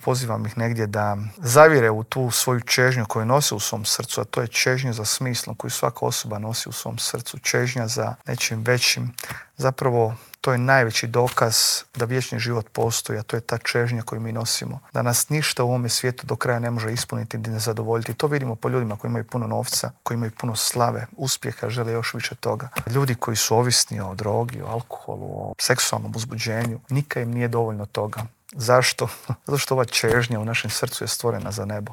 Pozivam ih negdje da zavire u tu svoju čežnju koju nose u svom srcu, a to je čežnja za smislom koju svaka osoba nosi u svom srcu, čežnja za nečim većim. Zapravo, to je najveći dokaz da vječni život postoji, a to je ta čežnja koju mi nosimo. Da nas ništa u ovome svijetu do kraja ne može ispuniti ni zadovoljiti. To vidimo po ljudima koji imaju puno novca, koji imaju puno slave, uspjeha, žele još više toga. Ljudi koji su ovisni o drogi, o alkoholu, o seksualnom uzbuđenju, nikad im nije dovoljno toga. Zašto? Zato što ova čežnja u našem srcu je stvorena za nebo.